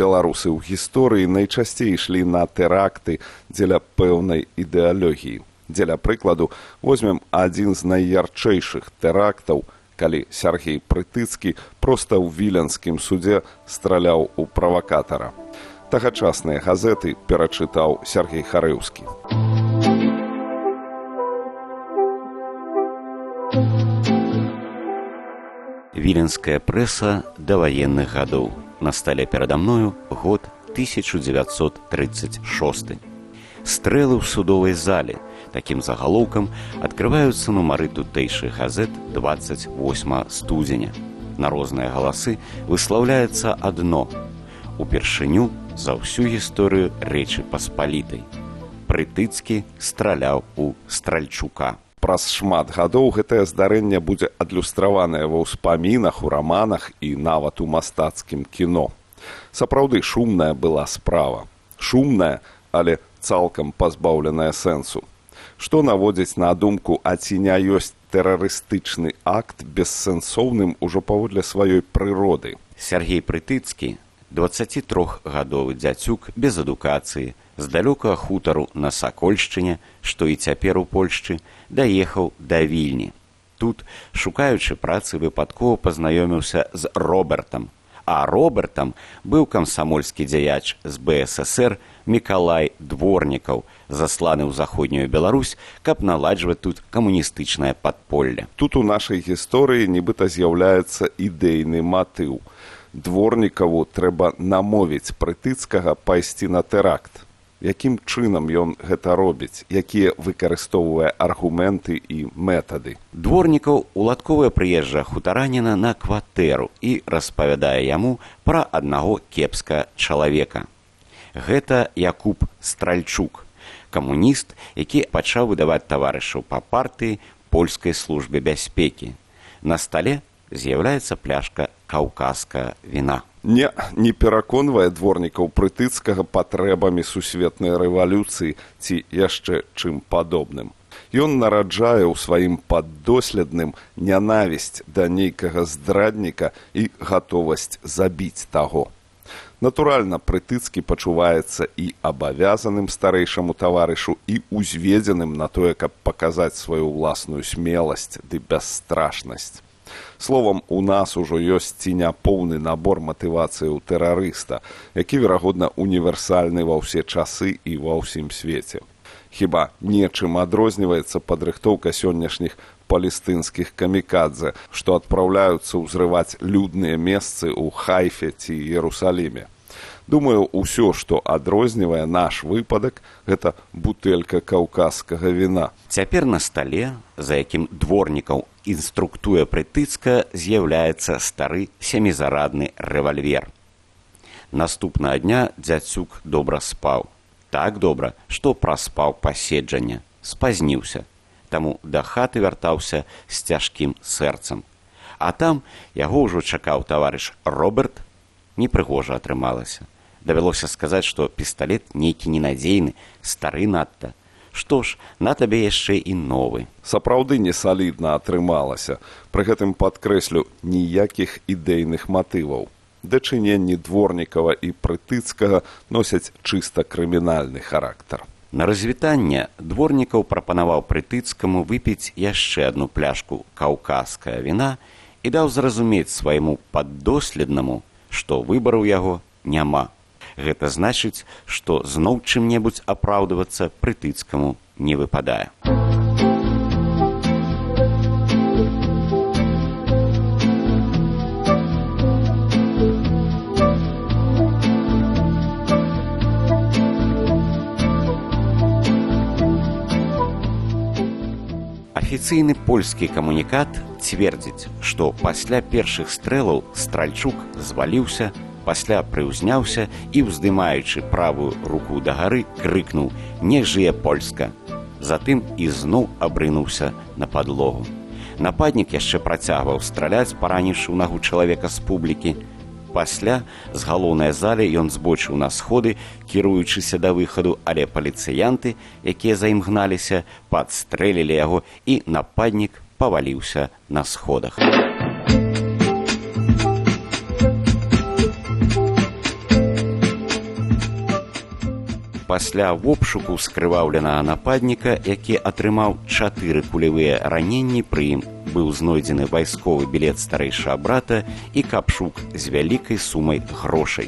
беларусы ў гісторыі найчасцей ішлі на тэракты дзеля пэўнай ідэалогіі. Дзеля прыкладу, возьмем адзін з найярчэйшых тэрактаў, калі Сяргей Прытыцкі проста ў віленскім судзе страляў у правакатара. Тагачасныя газеты перачытаў Сяргей Харэўскі. Віленская прэса даваенных гадоў. На стале перада мною год 1936. Стрэлы ў судовай зале. Такім загалоўкам адкрываюцца нумары тутэйшых газет 28 студзеня. На розныя галасы выслаўляецца адно. Упершыню за ўсю гісторыю Рэчы Паспалітай. Прытыцкі страляў у Стральчука. Праз шмат гадоў гэтае здарэнне будзе адлюстраванае ва ўспамінах, у раманах і нават у мастацкім кіно. Сапраўды шумная была справа. Шумная, але цалкам пазбаўленая сэнсу. Што наводзіць на думку, а ці не ёсць тэрарыстычны акт бессэнсоўным ужо паводле сваёй прыроды. Сяргей Прытыцкі, 23гадовы дзяцюк без адукацыі, з далёкага хутару на Сакольшчыне, што і цяпер у Польшчы, даехаў да Вільні. Тут, шукаючы працы, выпадкова пазнаёміўся з Робертам. А Робертам быў камсамольскі дзяяч з БССР Мікалай Дворнікаў, засланы ў заходнюю Беларусь, каб наладжваць тут камуністычнае падполле. Тут у нашай гісторыі нібыта з'яўляецца ідэйны матыў. Дворнікаву трэба намовіць Прытыцкага пайсці на тэракт. Якім чынам ён гэта робіць, якія выкарыстоўвае аргументы і метады. Дворнікаў уладковая прыезджая хутараніна на кватэру і распавядае яму пра аднаго кепска чалавека. Гэта Якуб Стральчук, камуніст, які пачаў выдаваць таварышаў па партыі польскай службе бяспекі. На стале з'яўляецца пляшка каўказскага віна. Не пераконвае Дворнікаў Прытыцкага патрэбамі сусветнай рэвалюцыі ці яшчэ чым падобным. Ён нараджае ў сваім паддоследным нянавісць да нейкага здрадніка і гатовасць забіць таго. Натуральна, Прытыцкі пачуваецца і абавязаным старэйшаму таварышу, і узведзеным на тое, каб паказаць сваю ўласную смеласць ды бясстрашнасць. Словам, у нас ужо ёсць ці не поўны набор матывацыі ў тэрарыста, які, верагодна, універсальны ва ўсе часы і ва ўсім свеце. Хіба нечым адрозніваецца падрыхтоўка сённяшніх палестынскіх камікадзе, што адпраўляюцца ўзрываць людныя месцы ў Хайфе ці Іерусаліме. Думаю, усё, што адрознівае наш выпадак, гэта бутэлька каўказскага віна. Цяпер на стале, за якім Дворнікаў інструктуе Прытыцка, з'яўляецца стары сямізарадны рэвальвер. Наступнага дня дзяцюк добра спаў. Так добра, што праспаў паседжанне, спазніўся. Таму да хаты вяртаўся з цяжкім сэрцам. А там яго ўжо чакаў таварыш Роберт. Непрыгожа атрымалася. Давялося сказаць, што пісталет нейкі ненадзейны, стары надта. Што ж, на табе яшчэ і новы. Сапраўды несалідна атрымалася. Пры гэтым падкрэслю, ніякіх ідэйных матываў. Дачыненні Дворнікава і Прытыцкага носяць чыста крымінальны характар. На развітанне Дворнікаў прапанаваў Прытыцкаму выпіць яшчэ адну пляшку каўказскага віна і даў зразумець свайму паддоследнаму, што выбару яго няма. Гэта значыць, што зноў чым-небудзь апраўдвацца Прытыцкаму не выпадае. Афіцыйны польскі камунікат цвердзіць, што пасля першых стрэлаў Стральчук зваліўся, пасля прыўзняўся і, уздымаючы правую руку дагары, крыкнуў «Не жые Польска!». Затым ізноў абрынуўся на падлогу. Нападнік яшчэ працягваў страляць, параніўшы ў нагу чалавека з публікі. Пасля з галоўнай залі ён збочыў на сходы, кіруючыся да выхаду, але паліцыянты, якія за ім гналіся, падстрэлілі яго, і нападнік паваліўся на сходах. пасля обшуку скрываўленага нападніка, які атрымаў 4 кулевыя раненні, пры ім быў знойдзены вайсковы білет старэйшага брата і капшук з вялікай сумай грошай.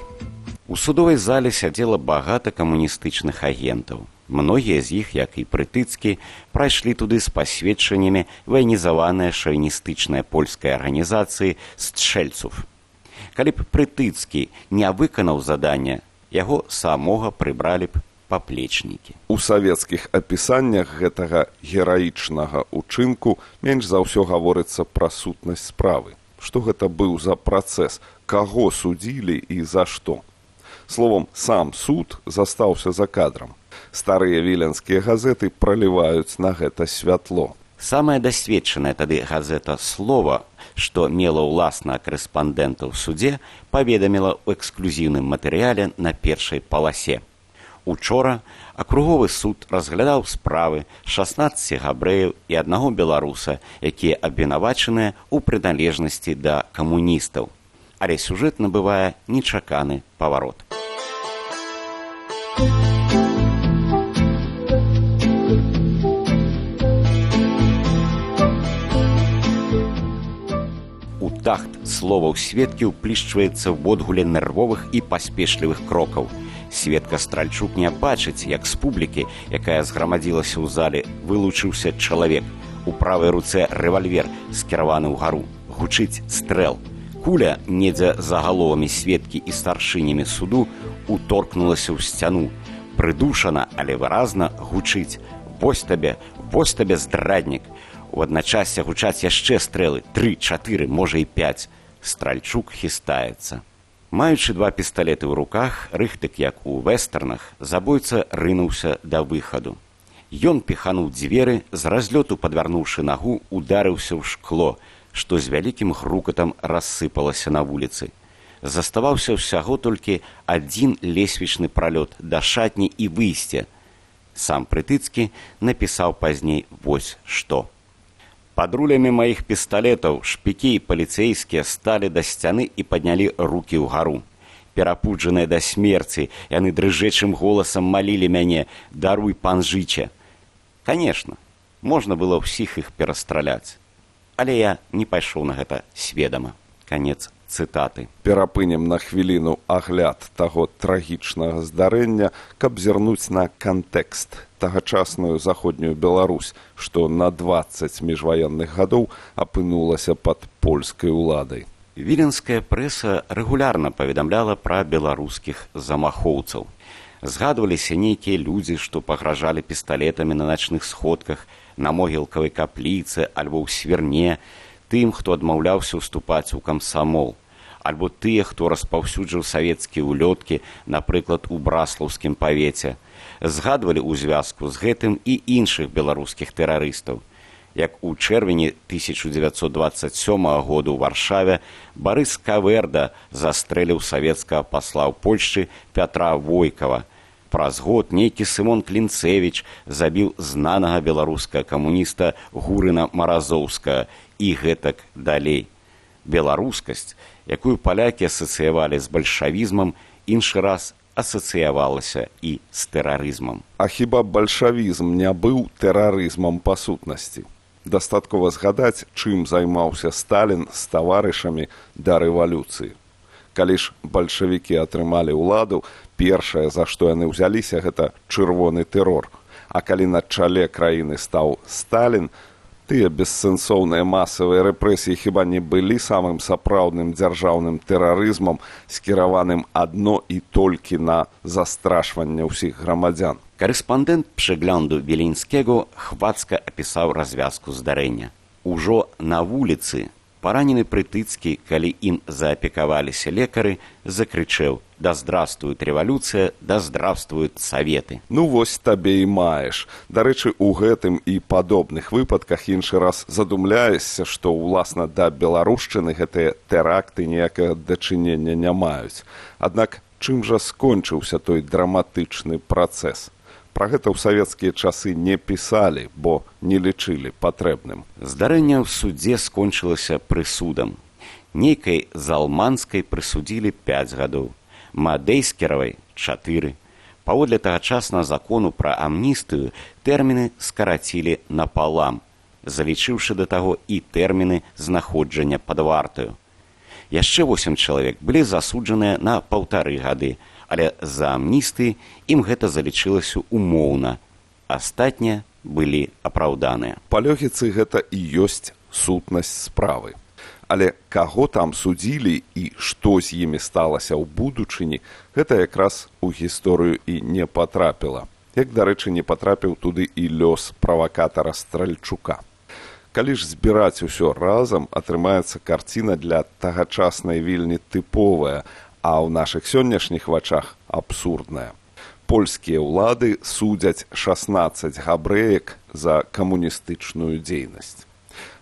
У судовай зале сядзела багата камуністычных агентаў. Многія з іх, як і Прытыцкі, прайшлі туды з пасведчаннямі ваенізаванай шавіністычнай польскай арганізацыі «Стршэльцów». Калі б Прытыцкі не выканаў задання, яго самога прыбралі б паплечнікі. У савецкіх апісаннях гэтага гераічнага ўчынку менш за ўсё гаворыцца пра сутнасць справы. Што гэта быў за працэс, каго судзілі і за што. Словом, сам суд застаўся за кадрам. Старыя віленскія газеты праліваюць на гэта святло. Самая дасведчаная тады газета «Слова», што мела ўласна корэспандэнта ў судзе, паведаміла ў эксклюзіўным матэрыяле на першай паласе. Учора акруговы суд разглядаў справы 16 габрэяў і 1 беларуса, якія абвінавачаныя ў прыналежнасці да камуністаў. Але сюжэт набывае нечаканы паварот. У тахт словаў сведкі ўплішчваецца ў водгуле нервовых і паспешлівых крокаў. Сведка Стральчук не бачыць, як з публікі, якая зграмадзілася ў зале, вылучыўся чалавек. У правай руцэ рэвальвер, скіраваны ўгару. Гучыць стрэл. Куля, недзе за галовамі сведкі і старшынямі суду, уторкнулася ў сцяну. Прыдушана, але выразна гучыць: «Вось табе, здраднік!» У адначасье гучаць яшчэ стрэлы, 3, 4, можа і 5. Стральчук хістаецца. Маючы 2 пісталеты ў руках, рыхтык як у вэстэрнах, забойца рынуўся да выхаду. Ён піхануў дзверы, з разлёту падвярнуўшы нагу, ударыўся ў шкло, што з вялікім грукатам рассыпалася на вуліцы. Заставаўся ўсяго толькі 1 лесвічны пралёт да шатні і выйсце. Сам Прытыцкі напісаў пазней вось што. «Пад рулямі маіх пісталетаў шпікі і паліцэйскія сталі да сцяны і паднялі рукі ўгару. Перапуджаныя да смерці, яны дрыжэчым голасам малілі мяне: «Даруй, пан жыча!» Канешне, можна было ўсіх іх перастраляць. Але я не пайшоў на гэта сведама. Канец цытаты. Перапынем на хвіліну агляд таго трагічнага здарэння, каб зірнуць на кантэкст, тагачасную заходнюю Беларусь, што на 20 міжваенных гадоў апынулася пад польскай уладай. Віленская прэса рэгулярна паведамляла пра беларускіх замахоўцаў. Згадваліся нейкія людзі, што пагражалі пісталетамі на начных сходках, на могілкавай капліцы альбо ў свірне, тым, хто адмаўляўся ўступаць у камсамол, альбо тыя, хто распаўсюджыў савецкія ўлёткі, напрыклад, у браслаўскім павеце. Згадвалі ў звязку з гэтым і іншых беларускіх тэрарыстаў. Як у чэрвені 1927 году ў Варшаве Барыс Каверда застрэліў савецкага пасла ў Польшчы Пятра Войкава. Праз год нейкі Сымон Клінцевіч забіў знанага беларускага камуніста Гурына Маразоўскага і гэтак далей. Беларускасць, якую палякі асацыявалі з бальшавізмам, іншы раз асацыявалася і з тэрарызмам. А хіба бальшавізм не быў тэрарызмам па сутнасці? Дастаткова згадаць, чым займаўся Сталін з таварышамі да рэвалюцыі. Калі ж бальшавікі атрымалі ўладу, першае, за што яны ўзяліся, гэта чырвоны тэрор. А калі на чале краіны стаў Сталін, тыя бессэнсоўныя масавыя рэпрэсіі хіба не былі самым сапраўдным дзяржаўным тэрарызмам, скіраваным адно і толькі на застрашванне ўсіх грамадзян. Корэспандэнт Прыгляду Віленскага хвацка апісаў развязку здарэння. Ужо на вуліцы паранены Прытыцкі, калі ім заапекаваліся лекары, закрычэў: «Да здравствует рэвалюцыя, да здравствуют саветы!» Ну вось табе і маеш. Дарэчы, у гэтым і падобных выпадках іншы раз задумляешся, што ўласна да беларушчыны гэтыя тэракты ніякага дачынення не маюць. Аднак чым жа скончыўся той драматычны працэс? Пра гэта ў савецкія часы не пісалі, бо не лічылі патрэбным. Здарэнне ў судзе скончылася прысудам. Нейкай Залманскай прысудзілі 5 гадоў, Мадейскеравай 4, Паводле тагачаснага закону пра амністыю тэрміны скарацілі напалам, залічыўшы да таго і тэрміны знаходжання пад вартаю. Яшчэ 8 чалавек былі засуджаныя на 1,5 гады, але за амністыі ім гэта залічылася умоўна. Астатнія былі апраўданыя. Па логіцы гэта і ёсць сутнасць справы. Але каго там судзілі і што з імі сталася ў будучыні, гэта якраз у гісторыю і не патрапіла. Як, дарэчы, не патрапіў туды і лёс правакатара Стральчука. Калі ж збіраць усё разам, атрымаецца карціна для тагачаснай вельмі тыповая, а ў нашых сённяшніх вачах абсурдная. Польскія ўлады судзяць 16 габрэек за камуністычную дзейнасць.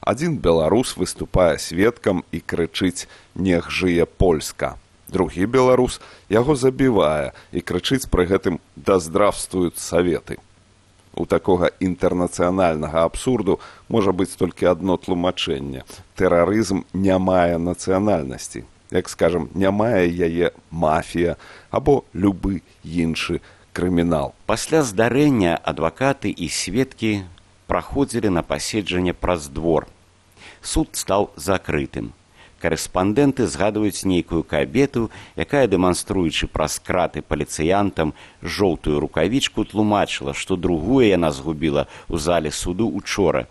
Адзін беларус выступае сведкам і крычыць «Нех жые Польска». Другі беларус яго забівае і крычыць пры гэтым «Да здравствуюць Саветы». У такога інтэрнацыянальнага абсурду можа быць толькі адно тлумачэнне. Тэрарызм не мае нацыянальнасці. Як скажам, не мае яе мафія або любы іншы крымінал. Пасля здарэння адвакаты і сведкі праходзілі на паседжанне праз двор. Суд стаў закрытым. Карэспандэнты згадваюць нейкую кабету, якая, дэманструючы праз краты паліцыянтам жоўтую рукавічку, тлумачыла, што другую яна згубіла ў зале суду учора.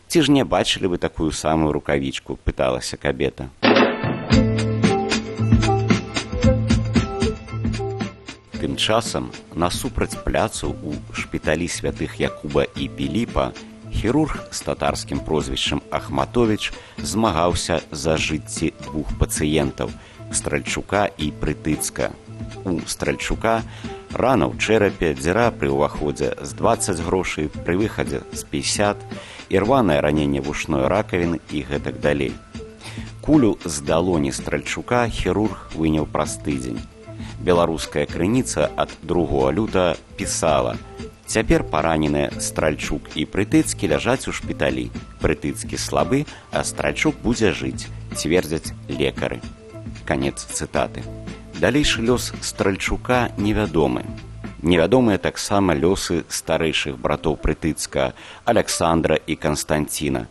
Ці ж не бачылі вы такую самую рукавічку, пыталася кабета. Тым часам, насупраць пляцу у шпіталі святых Якуба і Піліпа, хірург з татарскім прозвішчам Ахматовіч змагаўся за жыцці 2 пацыентаў – Стральчука і Прытыцка. У Стральчука рана ў чэрапе, дзіра пры ўваходзе з 20 грошай, пры выхадзе з 50, ірванае раненне вушной ракавіны і гэтак далей. Кулю з далоні Стральчука хірург выняў праз тыдзень. Беларуская крыніца ад 2 лютага пісала: «Цяпер параненыя Стральчук і Прытыцкі ляжаць у шпіталі. Прытыцкі слабы, а Стральчук будзе жыць, цвердзяць лекары». Канец цытаты. Далейшы лёс Стральчука невядомы. Невядомыя таксама лёсы старэйшых братоў Прытыцка, Аляксандра і Канстанціна.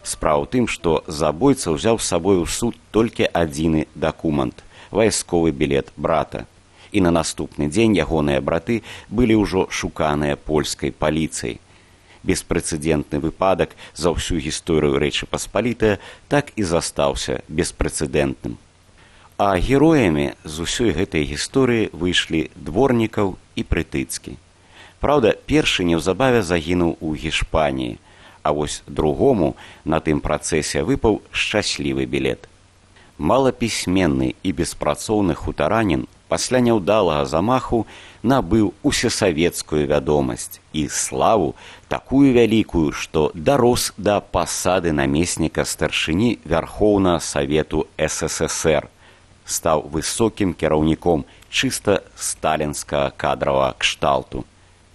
Справа ў тым, што забойца ўзяў з сабой у суд толькі адзіны дакумент – вайсковы білет брата. І на наступны дзень ягоныя браты былі ўжо шуканыя польскай паліцыяй. Беспрэцэдэнтны выпадак за ўсю гісторыю Рэчы Паспалітае так і застаўся беспрэцэдэнтным. А героямі з усёй гэтай гісторыі выйшлі Дворнікаў і Прытыцкі. Праўда, першы неўзабаве загінуў у Гішпаніі, а вось другому на тым працэсе выпаў шчаслівы білет. Малапісьменны і беспрацоўны хутаранін пасля няўдалага замаху набыў усесавецкую вядомасць і славу такую вялікую, што дарос да пасады намесніка старшыні Вярхоўнага Савету СССР, стаў высокім кіраўніком чыста сталінскага кадравага кшталту.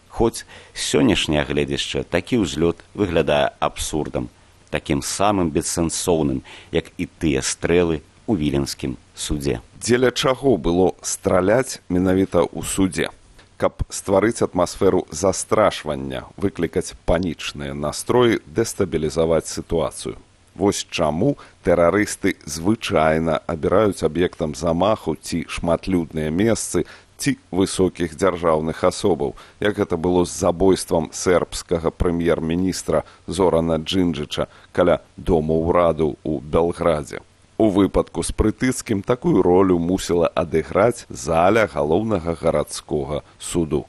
Хоць з сённяшняга гледзяшча такі ўзлёт выглядае абсурдам, такім самым бессэнсоўным, як і тыя стрэлы у віленскім судзе. Дзеля чаго было страляць менавіта ў судзе? Каб стварыць атмасферу застрашвання, выклікаць панічныя настроі, дэстабілізаваць сітуацыю. Вось чаму тэрарысты звычайна абіраюць аб'ектам замаху ці шматлюдныя месцы, ці высокіх дзяржаўных асобаў, як гэта было з забойствам сербскага прэм'ер-міністра Зорана Джинджыча каля дома ўраду ў Белградзе. У выпадку з Прытыцкім такую ролю мусіла адыграць заля галоўнага гарадскога суду.